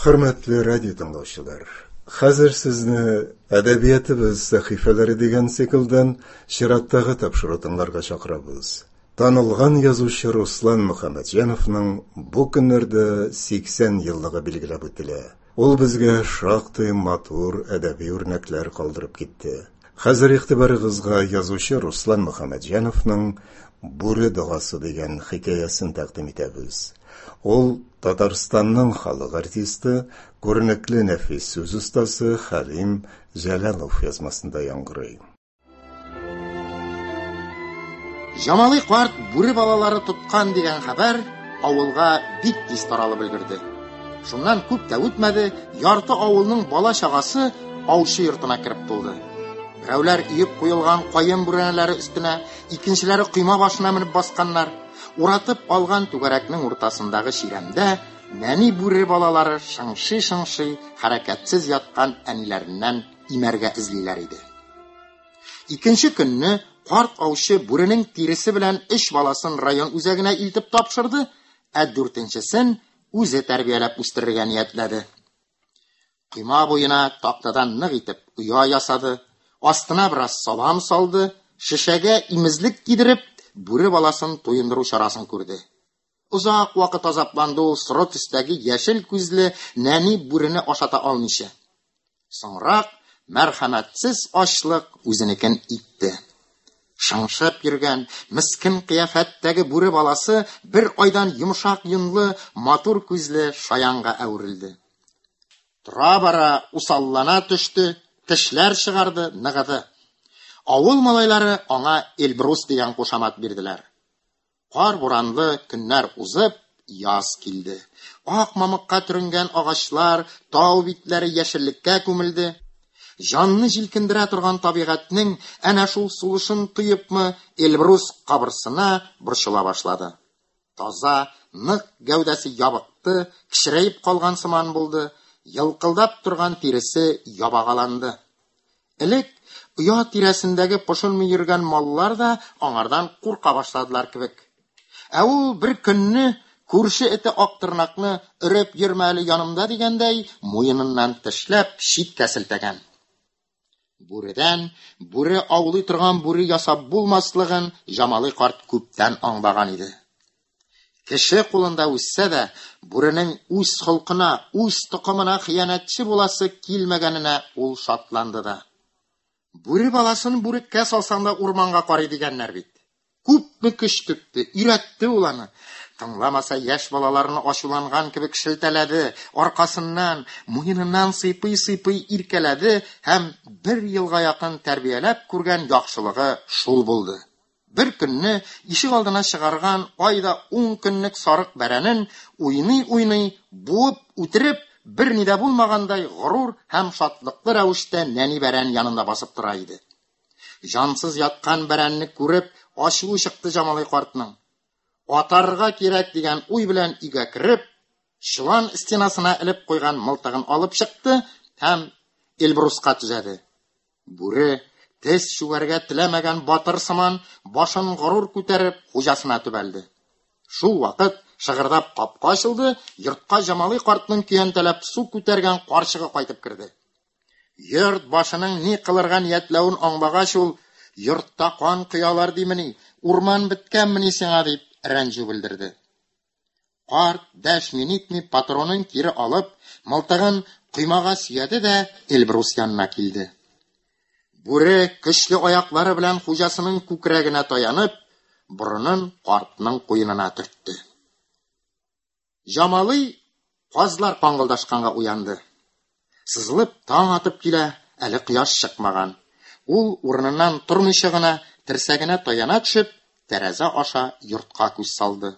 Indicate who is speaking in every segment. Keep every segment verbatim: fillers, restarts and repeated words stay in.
Speaker 1: Хөрмәтле радио тыңлаучылар, хәзер сезне Әдәбиятыбыз сәхифәләре дигән циклдан чираттагы тапшыру тыңларга чакырабыз. Танылган язучы Руслан Мөхәммәтҗановның бу көннәрдә сиксән еллыгы билгеләп үтелә. Ул безгә шактый матур әдәби үрнәкләр калдырып китте. Хәзер игътибарыгызга язучы Руслан Мөхәммәтҗановның Бүре догасы дигән хикәясен тәкъдим итәбез. Ул Татарстанның халык артисты, күренекле нәфис сүз остасы Хәлим Җәләлов язмасында яңгырый.
Speaker 2: Җамалый карт бүре балалары тоткан дигән хәбәр авылга бик тиз таралып өлгерде. Шуннан күп тә үтмәде, ярты авылның бала-чагасы аучы йортына кереп тулды. Берәүләр өеп куелган каен бүрәнәләре өстенә, икенчеләре койма башына менеп басканнар. Уратып алган түгәрәкнең уртасындагы чирәмдә нәни бүре балалары шыңшый-шыңшый хәрәкәтсез яткан әниләреннән имәргә эзлиләр иде. Икенче көнне карт аучы бүренең тиресе белән өч баласын район үзәгенә илтеп тапшырды, ә дүртенчесен үзе тәрбияләп үстерергә ниятләде. Койма буена тактадан нык итеп оя ясады, астына бераз салам салды, шешәгә имезлек кидереп, бүре баласын туендыру чарасын күрде. Озак вакыт азапланды ул соры төстәге яшел күзле нәни бүрене ашата алмыйча. Соңрак мәрхәмәтсез ачлык үзенекен итте. Шыңшып йөргән, мескен кыяфәттәге бүре баласы бер айдан йомшак йонлы, матур күзле шаянга әверелде. Тора-бара усаллана төште, тешләр чыгарды, ныгыды. Авыл малайлары аңа Эльбрус дигән кушамат бирделәр. Кар буранлы көннәр узып, яз килде. Ак мамыкка төренгән агачлар, тау битләре яшеллеккә күмелде. Җанны җилкендерә торган табигатьнең әнә шул сулышын тоепмы, Эльбрус кабырсына, борчыла башлады. Таза, нык гәүдәсе ябыкты, кечерәеп калган сыман булды, елкылдап торган тиресе ябагаланды. Элек оя тирәсендәге пошынмый йөргән маллар да аңардан курка башладылар кебек. Ә ул бер көнне күрше эте Актырнакны өреп йөрмә әле янымда дигәндәй, муеныннан тешләп читкә селтәгән. Бүредән бүре аулый торган бүре ясап булмаслыгын Җамалый карт күптән аңлаган иде. Кеше кулында үссә дә, бүренең үз холкына, үз токымына хыянәтче буласы килмәгәненә ул шатланды да. Бүре баласын бүреккә салсаң да урманга карый дигәннәр бит. Күпме көч түкте, өйрәтте ул аны. Тыңламаса, яшь балаларны ачуланган кебек шелтәләде, аркасыннан, муеныннан сыйпый-сыйпый иркәләде һәм бер елга якын тәрбияләп күргән яхшылыгы шул булды. Бер көнне ишек алдына чыгарган айда ун көнлек сарык бәрәнен уйный-уйный буып үтереп, бер ни дә булмагандай горур һәм шатлыклы рәвештә нәни бәрән янында басып тора иде. Җансыз яткан бәрәнне күреп, ачуы чыкты Җамалый картның. Атарга кирәк дигән уй белән өйгә кереп, чолан стенасына элеп куйган мылтыгын алып чыкты һәм Эльбруска төзәде. Бүре тез чүгәргә теләмәгән батыр сыман башын горур күтәреп хуҗасына төбәлде. Шул вакыт шыгырдап капка ачылды, йортка Җамалый картның көянтәләп су күтәргән карчыгы кайтып керде. Йорт башының ни кылырга ниятләвен аңлагач, ул: "Йортта кан коялар димени, урман беткәнмени сиңа?" дип рәнҗү белдерде. Карт дәшми нитми патронын кире алып, мылтыгын коймага сөяде дә Эльбрус янына килде. Бүре көчле аяклары белән хуҗасының күкрәгенә таянып, борынын картның куенына төртте. Җамалый казлар каңгылдашканга уянды. Сызылып таң атып килә, әле кояш чыкмаган. Ул урыныннан тормыйча гына терсәгенә таяна төшеп, тәрәзә аша йортка күз салды.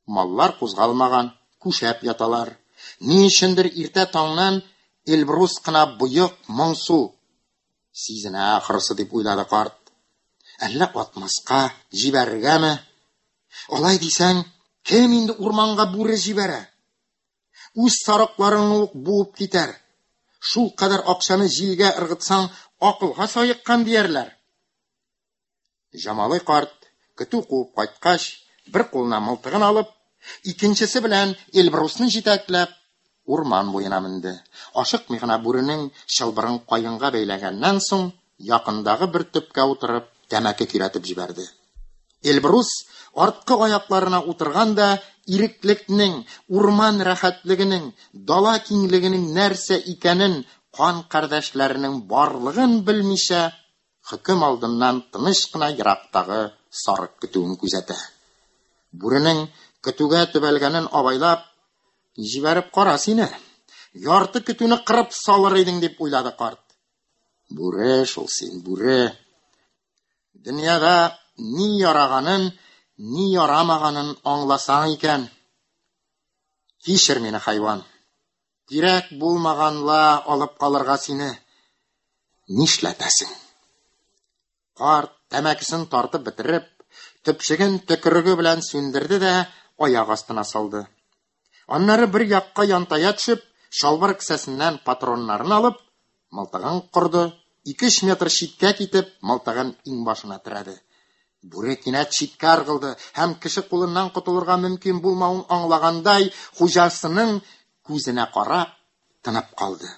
Speaker 2: Маллар кузгалмаган, күшәп яталар. Ни өчендер иртә таңнан Эльбрус кына боек, моңсу. Сизенә ахрысы дип уйлады карт. Әллә атмаска, җибәрергәме? Алай дисәң, кем инде урманга бүре җибәрә? Үз сарыкларыңны ук буып китәр. Шул кадәр акчаны җилгә ыргытсаң, акылга саеккан диярләр. Җамалый карт көтү куып кайткач, бер кулына мылтыгын алып, икенчесе белән Эльбрусны җитәкләп, урман буена менде. Ашыкмый гына бүренең чылбырын каенга бәйләгәннән соң, якындагы бер төпкә утырып, тәмәке көйрәтеп җибәрде. Эльбрус арткы аякларына утырган да иреклекнең, урман рәхәтлегенең, дала киңлегенең нәрсә икәнен кан кардәшләренең барлыгын белмичә, хөкем алдыннан тыныч кына ерактагы сарык көтүен күзәтә. Бүренең көтүгә төбәлгәнен абайлап, җибәреп кара сине, ярты көтүне кырып салыр идең, дип уйлады карт. Бүре шул син, бүре. Дөньяда ни яраганын, ни ярамаганын аңласаң икән. Кичер мине, хайван. Кирәк булмаганла алып калырга сине. Нишләтәсең? Карт тәмәкесен тартып бетереп, төпчеген төкереге белән сүндерде дә аяк астына салды. Аннары бер якка янтая төшеп, чалбар кесәсеннән патроннарын алып, мылтыгын корды, ике-өч метр читкә китеп, мылтыгын иңбашына терәде. Бүре кинәт читкә ыргылды һәм кеше кулыннан котылырга мөмкин булмавын аңлагандай, хуҗасының күзенә карап тынып калды.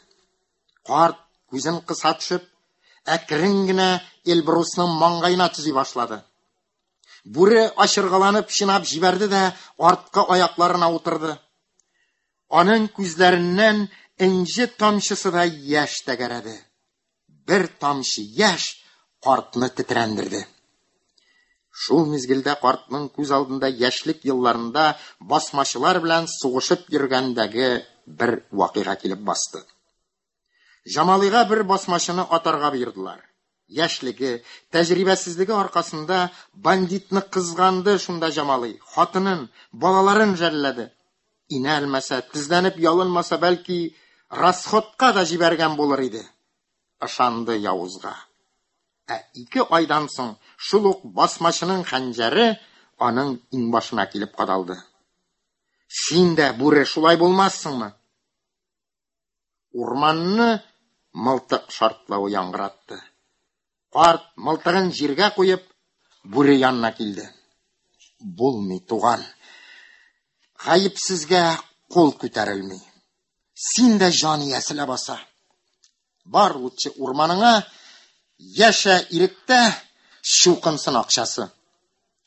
Speaker 2: Карт күзен кыса төшеп, әкрен генә Эльбрусның маңгаена төзи башлады. Бүре ачыргаланып чинап җибәрде дә арткы аякларына утырды. Аның күзләреннән энҗе тамчысы да яшь тәгәрәде. Бер тамчы яшь картны тетрәндерде. Шул мизгелдә картның күз алдында яшьлек елларында басмачылар белән сугышып йөргәндәге бер вакыйга килеп басты. Җамалыйга бер басмачыны атарга боердылар. Яшьлеге, тәҗрибәсезлеге аркасында бандитны кызганды шунда Җамалый, хатынын, балаларын жәлләде. Инәлмәсә, тезләнеп ялынмаса, бәлки расходка да җибәргән булыр иде. Ышанды явызга. Ә ике айдан соң шул ук басмачының хәнҗәре аның иңбашына килеп кадалды. Син дә, бүре, шулай булмассыңмы? Урманны мылтык шартлавы яңгыратты. Карт мылтыгын җиргә куеп, бүре янына килде. Булмый, туган. Гаепсезгә кул күтәрелми. Син дә җан иясе ләбаса. Бар лучше урманыңа, яшә иректә, чукынсын акчасы.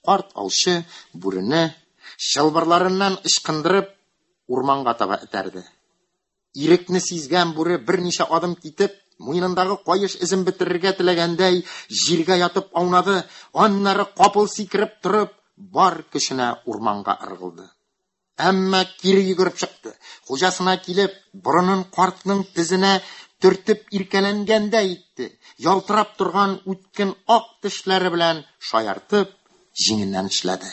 Speaker 2: Карт аучы бүрене чылбырларыннан ычкындырып, урманга таба этәрде. Ирекне сизгән бүре берничә адым китеп, муенындагы каеш эзен бетерергә теләгәндәй, җиргә ятып аунады, аннары капыл сикереп торып, бар көченә урманга ыргылды. Әмма кире йөгереп чыкты. Хуҗасына килеп, борынын картның тезенә төртеп иркәләнгәндәй итте. Ялтырап торган үткен ак тешләре белән шаяртып, җиңеннән тешләде.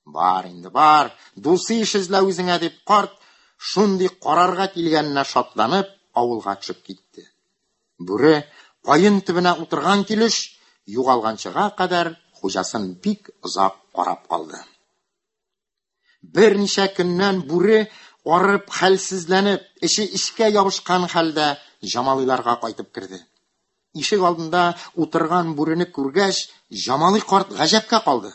Speaker 2: Бар инде, бар, дусы иш эзлә үзеңә, дип карт шундый карарга килгәненә шатланып, авылга төшеп китте. Бүре каен төбенә утырган килеш, югалганчыга кадәр хуҗасын бик озак карап калды. Берничә көннән бүре арып, хәлсезләнеп, эче эчкә ябышкан хәлдә Җамалыйларга кайтып керде. Ишек алдында утырган бүрене күргәч, Җамалый карт гаҗәпкә калды.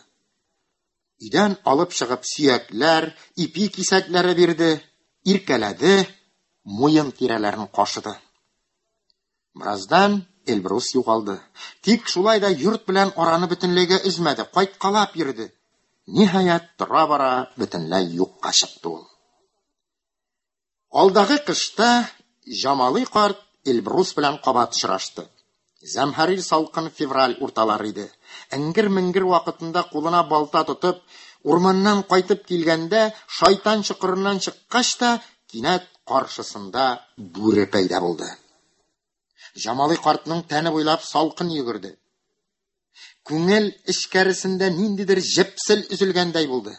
Speaker 2: Өйдән алып чыгып сөякләр, ипи кисәкләре бирде, иркәләде, муен тирәләрен кашыды. Бераздан Эльбрус югалды. Тик шулай да йорт белән араны бөтенләйгә өзмәде, кайткалап йөрде. Ниһаять, тора-бара бөтенләй юкка чыкты ул. Алдагы кышта Җамалый карт Эльбрус белән кабат очрашты. Зәмһәрир салкын февраль урталары иде. Эңгер-меңгер вакытында кулына балта тотып, урманнан кайтып килгәндә, шайтан чокырыннан чыккач та, кинәт каршысында бүре пәйда булды. Җамалый картның тәне буйлап салкын йөгерде. Күңел эчкәресендә ниндидер җепсел өзелгәндәй булды.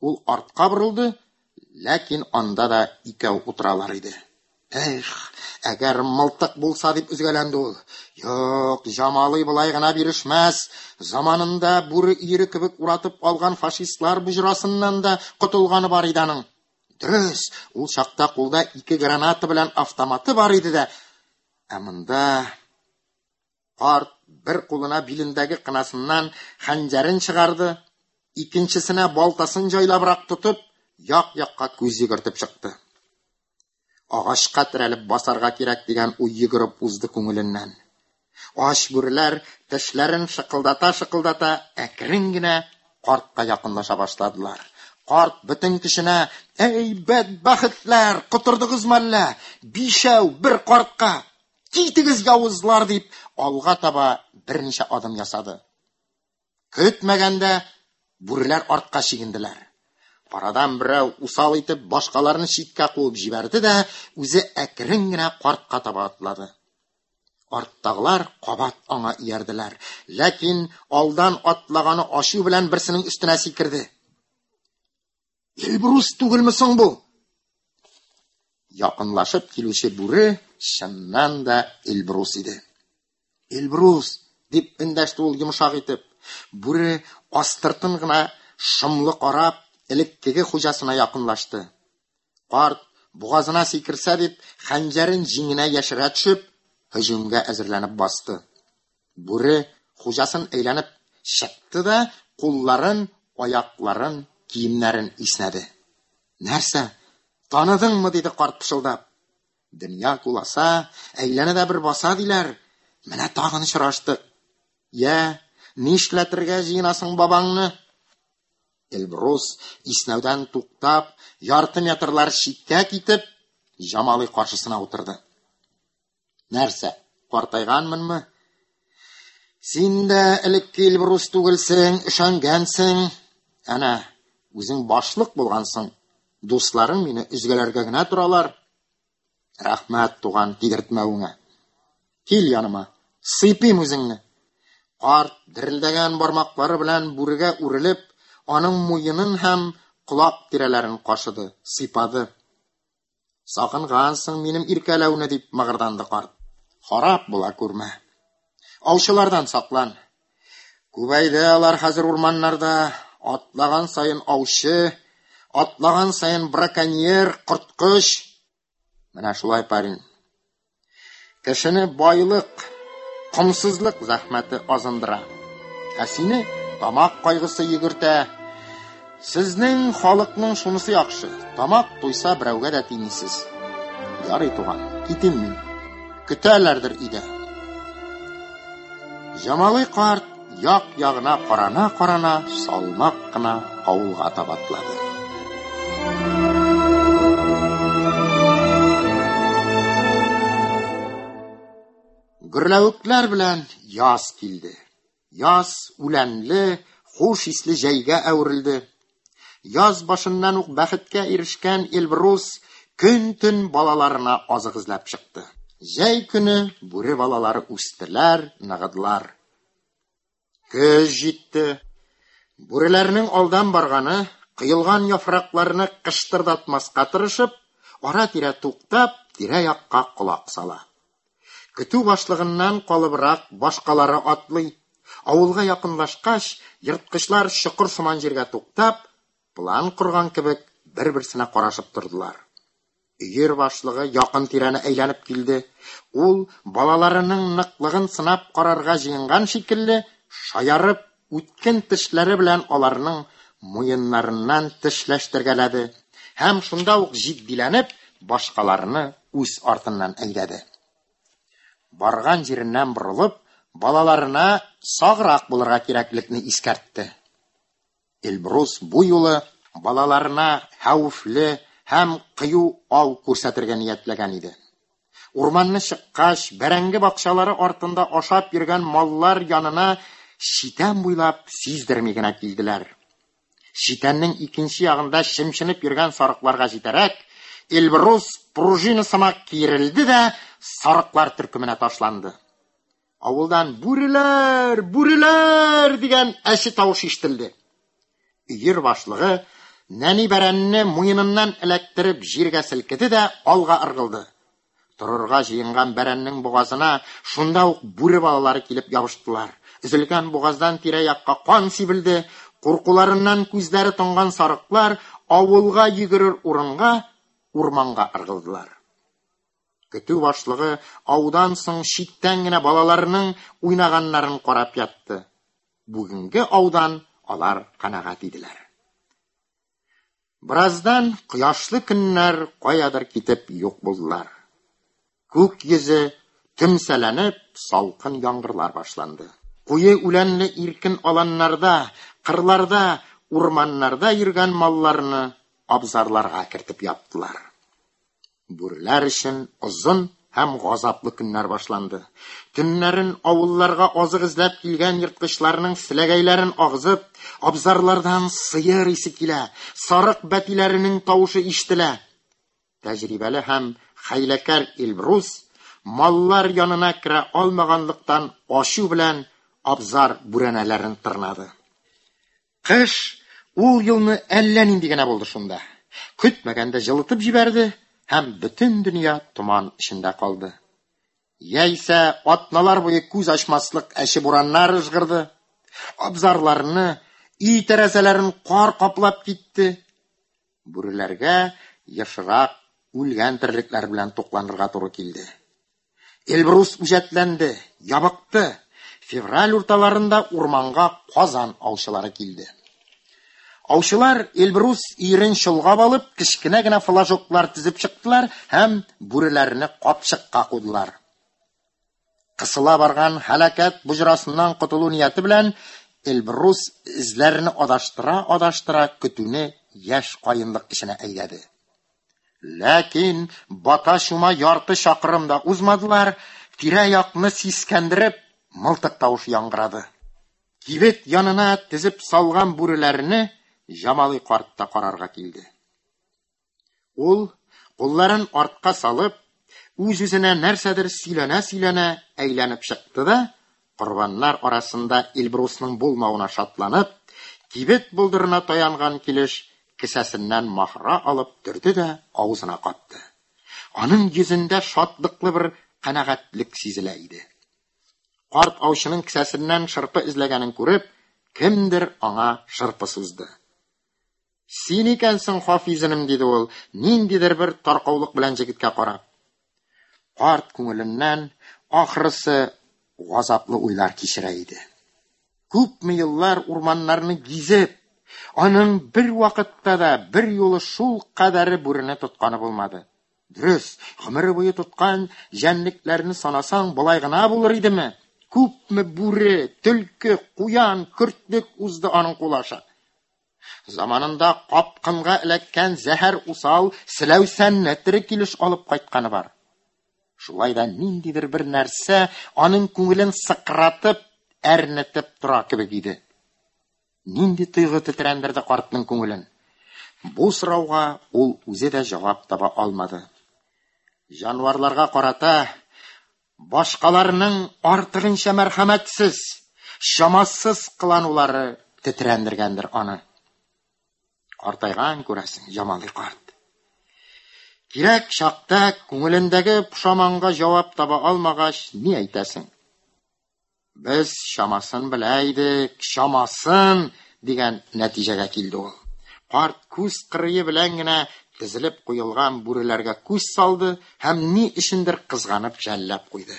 Speaker 2: Ул артка борылды, ләкин анда да икәү утыралар иде. Эх, әгәр мылтык булса, дип өзгәләнде ул. Юк, Җамалый болай гына бирешмәс. Заманында бүре өере кебек уратып алган фашистлар боҗрасыннан да котылганы бар иде аның. Дөрес, ул чакта кулда ике граната белән автоматы бар иде дә. Ә монда карт бер кулына билендәге кынасыннан хәнҗәрен чыгарды, икенчесенә балтасын җайлабрак тотып, як-якка күз йөгертеп чыкты. Агачка терәлеп басарга кирәк дигән уй йөгереп узды күңеленнән. Ач бүреләр тешләрен шыкылдата-шыкылдата әкрен генә картка якынлаша башладылар. Карт бөтен көченә: «Әй, бәдбәхетләр, котырдыгызмы әллә? Бишәү бер картка! Китегез, явызлар!» – дип, алга таба берничә адым ясады. Көтмәгәндә бүреләр артка чигенделәр. Арадан берәү усал итеп башкаларны читкә куып җибәрде дә, үзе әкрен генә картка таба атлады. Арттагылар кабат аңа иярделәр. Ләкин алдан атлаганы ачу белән берсенең өстенә сикерде. Эльбрус түгелме соң бу? Якынлашып килүче бүре чыннан да Эльбрус иде. Эльбрус, дип эндәште ул йомшак итеп. Бүре астыртын гына шомлы карап, элеккеге хуҗасына якынлашты. Карт бугазына сикерсә дип, хәнҗәрен җиңенә яшерә төшеп, һөҗүмгә әзерләнеп басты. Бүре хуҗасын әйләнеп чыкты да, кулларын, аякларын, киемнәрен иснәде. Нәрсә? Таныдыңмы? диде карт пышылдап. Дөнья куласа, әйләнә дә бер баса диләр. Менә тагын очраштык. Йә, нишләтергә җыенасың бабаңны? Эльбрус иснәүдән туктап, ярты метрлар читкә китеп, Җамалый каршысына утырды. Нәрсә, картайганмынмы? Син дә элекке Эльбрус түгелсең, өшәнгәнсең. Әнә, үзең башлык булгансың. Дусларың мине өзгәләргә генә торалар. Рәхмәт, туган, тидертмәвеңә. Кил яныма, сыйпыйм үзеңне. Карт дерелдәгән бармаклары белән бүрегә үрелеп, аның муенын һәм колак тирәләрен кашыды, сыйпады. Сагынгансың минем иркәләүне, дип мыгырданды карт. Харап була күрмә. Аучылардан саклан. Күбәйде алар хәзер урманнарда. Атлаган саен аучы, атлаган саен браконьер, корткыч. Менә шулай, парень. Кешене байлык, комсызлык зәхмәте азындыра. Ә сине тамак кайгысы йөгертә. Сезнең халыкның шунысы яхшы: тамак туйса берәүгә дә тимисез. Ярый, туган, китим мин. Көтәләрдер өйдә. Җамалый карт як-ягына карана-карана салмак кына авылга таба атлады. Гөрләвекләр белән яз килде. Яз үләнле, хуш исле җәйгә әверелде. Яз башыннан ук бәхеткә ирешкән Эльбрус көн-төн балаларына азык эзләп чыкты. Җәй көне бүре балалары үстеләр, ныгыдылар. Көз җитте. Бүреләрнең алдан барганы, коелган яфракларны кыштырдатмаска тырышып, ара-тирә туктап, тирә-якка колак сала. Көтү башлыгыннан калыбрак башкалары атлый. Авылга якынлашкач, ерткычлар чокыр сыман җиргә туктап, план корган кебек бер-берсенә карашып тордылар. Өер башлыгы якын тирәне әйләнеп килде. Ул балаларының ныклыгын сынап карарга җыенган шикелле, шаярып, үткен тешләре белән аларның муеннарыннан тешләштергәләде һәм шунда ук җитдиләнеп, башкаларны үз артыннан әйдәде. Барган җиреннән борылып, балаларына саграк булырга кирәклекне искәртте. Эльбрус бу юлы балаларына хәвефле һәм кыю ау күрсәтергә ниятләгән иде. Урманны чыккач, бәрәңге бакчалары артында ашап йөргән маллар янына читән буйлап сиздерми генә килделәр. Читәннең икенче ягында чемченеп йөргән сарыкларга җитәрәк, Эльбрус пружина сымак киерелде дә сарыклар төркеменә ташланды. Авылдан «Бүреләр! Бүреләр!» дигән әче тавыш ишетелде. Өер башлыгы нәни бәрәнне муеныннан эләктереп җиргә селкеде дә алга ыргылды. Торырга җыенган бәрәннең бугазына шунда ук бүре балалары килеп ябыштылар. Өзелгән бугаздан тирә-якка кан сибелде. Куркуларыннан күзләре тонган сарыклар авылга йөгерер урынга урманга ыргылдылар. Көтү башлыгы аудан соң читтән генә балаларының уйнаганнарын карап ятты. Бүгенге аудан алар канәгать иделәр. Бераздан кояшлы көннәр каядыр китеп юк булдылар. Күк йөзе төмсәләнеп, салкын яңгырлар башланды. Куе үләнле иркен аланнарда, кырларда, урманнарда йөргән малларны абзарларга кертеп яптылар. Бүреләр өчен озын һәм газаплы көннәр башланды. Төннәрен авылларга азык эзләп килгән ерткычларның селәгәйләрен агызып, абзарлардан сыер исе килә, сарык бәтиләренең тавышы ишетелә. Тәҗрибәле һәм хәйләкәр Эльбрус маллар янына керә алмаганлыктан ачу белән абзар бүрәнәләрен тырнады. Кыш ул елны әллә нинди генә булды шунда. Көтмәгәндә җылытып җибәрде һәм бөтен дөнья томан эчендә калды. Яисә атналар буе күз ачмаслык әче бураннар ыжгырды. Абзарларны, өй тәрәзәләрен кар каплап китте. Бүреләргә ешрак үлгән терлекләр белән тукланырга туры килде. Эльбрус үҗәтләнде, ябыкты. Февраль урталарында урманга Казан аучылары килде. Аучылар Эльбрус өерен чолгап алып, кечкенә генә флажоклар төзеп чыктылар һәм бүреләрне капчыкка кудылар. Кысыла барган һәлакәт боҗрасыннан котылу нияте белән Эльбрус эзләрне адаштыра-адаштыра көтүне яшь каенлык эченә әйдәде. Ләкин бата-чума ярты чакрым да узмадылар, тирә-якны сискәндереп, мылтык тавышы яңгырады. Кибет янына тезеп салган бүреләрне Җамали карт та карарга килде. Ул, кулларын артка салып, үз-үзенә нәрсәдер сөйләнә-сөйләнә әйләнеп чыкты да, корбаннар арасында Эльбрусның булмавына шатланып, кибет болдырына таянган килеш кесәсеннән махра алып төрде дә авызына капты. Аның йөзендә шатлыклы бер канәгатьлек сизелә иде. Карт аучының кесәсеннән шырпы эзләгәнен күреп, кемдер аңа шырпы сузды. Син икәнсең, Хафиз энем, диде ул, ниндидер бер таркаулык белән җегеткә карап. Карт күңеленнән ахрысы газаплы уйлар кичерә иде. Күпме еллар урманнарны гизеп, аның бер вакытта да бер юлы шул кадәре бүрене тотканы булмады. Дөрес, гомере буе тоткан җәнлекләрне санасаң, болай гына булыр идеме? Күпме бүре, төлке, куян, көртлек узды аның кулы аша. Заманында капкынга эләккән зәһәр усал селәүсәнне тере килеш алып кайтканы бар. Шулай да ниндидер бер нәрсә аның күңелен сыкратып, әрнетеп тора кебек иде. Нинди тойгы тетрәндерде картның күңелен? Бу сорауга ул үзе дә җавап таба алмады. Җанварларга карата башкаларның артыгынча мәрхәмәтсез, чамасыз кыланулары тетрәндергәндер аны. Картайган күрәсең, Җамали карт. Кирәк чакта күңелендәге пошаманга җавап таба алмагач, ни әйтәсең? Без чамасын белә идек, чамасын, дигән нәтиҗәгә килде ул. Карт күз кырые белән генә тезелеп куелган бүреләргә күз салды һәм ни өчендер кызганып жәлләп куйды.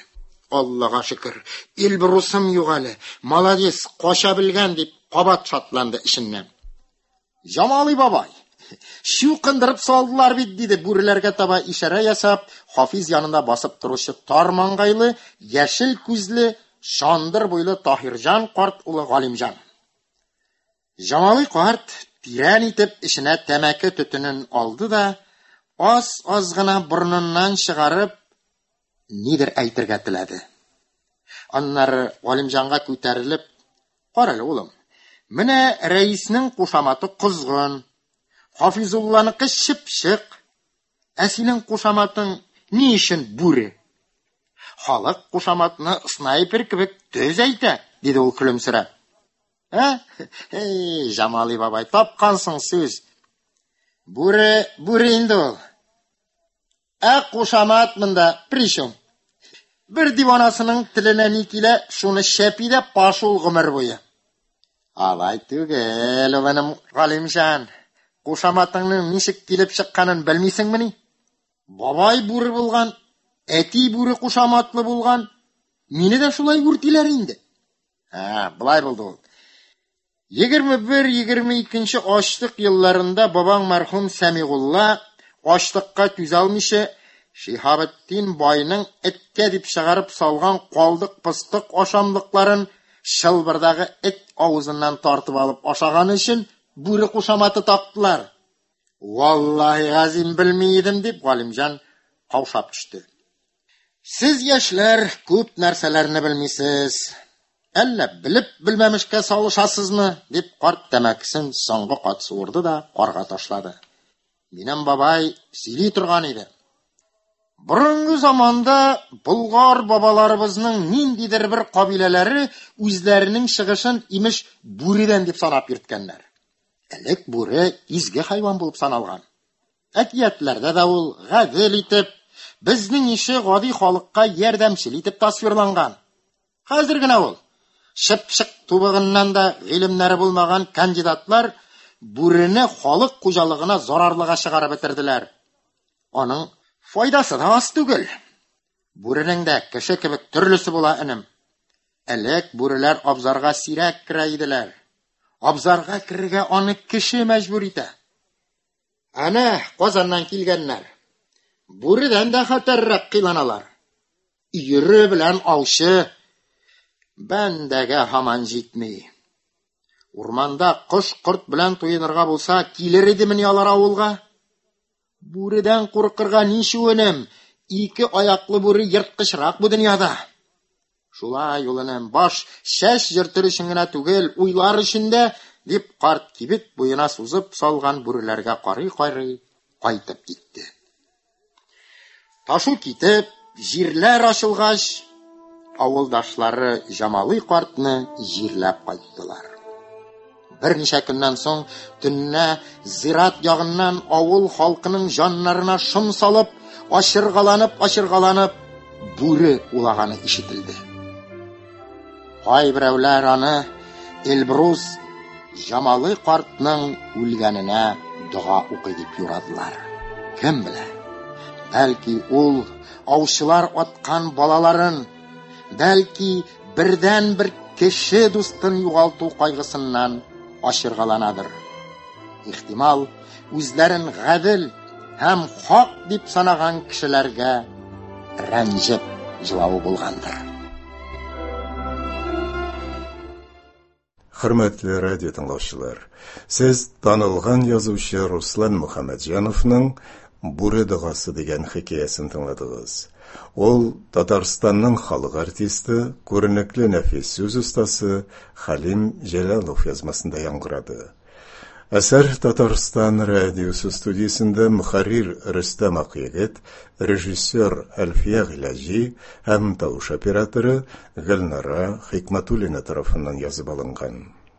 Speaker 2: Аллага шөкер, Эльбрусым юк әле, молодец, кача белгән, дип кабат шатланды эченнән. Җамали бабай, чукындырып салдылар бит, диде бүреләргә таба ишарә ясап, Хафиз янында басып торучы тар маңгайлы, яшел күзле, чандыр буйлы Таһирҗан карт улы Галимҗан. Җамали карт тирән итеп эченә тәмәке төтенен алды да, аз-аз гына борыныннан чыгарып, нидер әйтергә теләде. Аннары Галимҗанга күтәрелеп, Кара әле, улым, менә рәиснең кушаматы Козгын, Хафизулланыкы Чыпчык, ә синең кушаматың ни өчен Бүре? Халык кушаматны снайпер кебек төз әйтә, диде ул көлемсерәп. Ә? Эй, Җамали бабай, тапкансың сүз. Бүре, бүре инде ул. Ә кушамат монда причем? Бер диванасының теленә ни килә, шуны шәпи дә пашул гомер буе. Алай түгел, улым Галимҗан. Кушаматыңның ничек килеп чыкканын белмисеңмени? Бабай бүре булган, әти бүре кушаматлы булган. Мине дә шулай үртиләр инде. Ә, болай булды ул. Егерме бер, егерме икенче ачлык елларында бабаң мәрхүм Сәмигулла ачлыкка түзә алмыйча Шиһабетдин байның эткә дип чыгарып салган калдык-пыстык ашамлыкларын чылбырдагы эт авызыннан тартып алып ашаганы өчен бүре кушаматы тактылар. Валлаһи газим белми идем, дип Галимҗан каушап төште. Сез, яшьләр, күп нәрсәләрне белмисез. Әллә белеп белмәмешкә салышасызмы? Дип карт тәмәкесен соңгы кат суырды да карга ташлады. Минем бабай сөйли торган иде. Борынгы заманда болгар бабаларыбызның ниндидер бер кабиләләре үзләренең чыгышын имеш бүредән дип санап йөрткәннәр. Элек бүре изге хайван булып саналган. Әкиятләрдә дә ул гадел итеп, безнең ише гади халыкка ярдәмчел итеп тасвирланган. Хәзер генә ул чыпчык тубыгыннан да гыйлемнәре булмаган кандидатлар бүрене халык хуҗалыгына зарарлыга чыгарып бетерделәр. Аның файдасы да аз түгел. Бүренең дә кеше кебек төрлесе була, энем. Элек бүреләр абзарга сирәк керә иделәр. Абзарга керергә аны кеше мәҗбүр итә. Әнә Казаннан килгәннәр. Бүредән дә хәтәррәк кыйланалар. Өере белән аучы бәндәгә һаман җитми. Урманда кош-корт белән туенырга булса, килер идемени алар авылга? Бүредән куркырга ничу, энем? Ике аяклы бүре ерткычрак бу дөньяда. Шулай ул, энем, баш чәч йөртер өчен генә түгел, уйлар өчен дә, дип карт кибет буена сузып салган бүреләргә карый-карый кайтып китте. Ташу китеп, җирләр ачылгач, авылдашлары Җамалый картны җирләп кайттылар. Берничә көннән соң төнлә зират ягыннан авыл халкының җаннарына шом салып, ачыргаланып, ачыргаланып бүре улаганы ишетелде. Кайберәүләр аны Эльбрус Җамалый картның үлгәненә дога укый дип юрадылар. Кем белә? Бәлки ул аучылар аткан балаларын, бәлки бердән-бер кеше дустын югалту кайгысыннан ачыргаланадыр. Ихтимал, үзләрен гадел һәм хак дип санаган кешеләргә рәнҗеп җылавы булгандыр.
Speaker 1: Хөрмәтле радио тыңлаучылар, сез танылган язучы Руслан Мөхәммәтҗановның Бүре догасы дигән хикәясен тыңладыгыз. Ул Татарстанның халык артисты, күренекле нәфис сүз остасы Хәлим Җәләлов язмасында яңгырады. Әсәр Татарстан радиосы студиясендә мөхәррир Рөстәм Акъегет, режиссер Әлфия Гыйләҗи һәм тавыш операторы Гөлнара Хикмәтуллина тарафыннан язып алынган.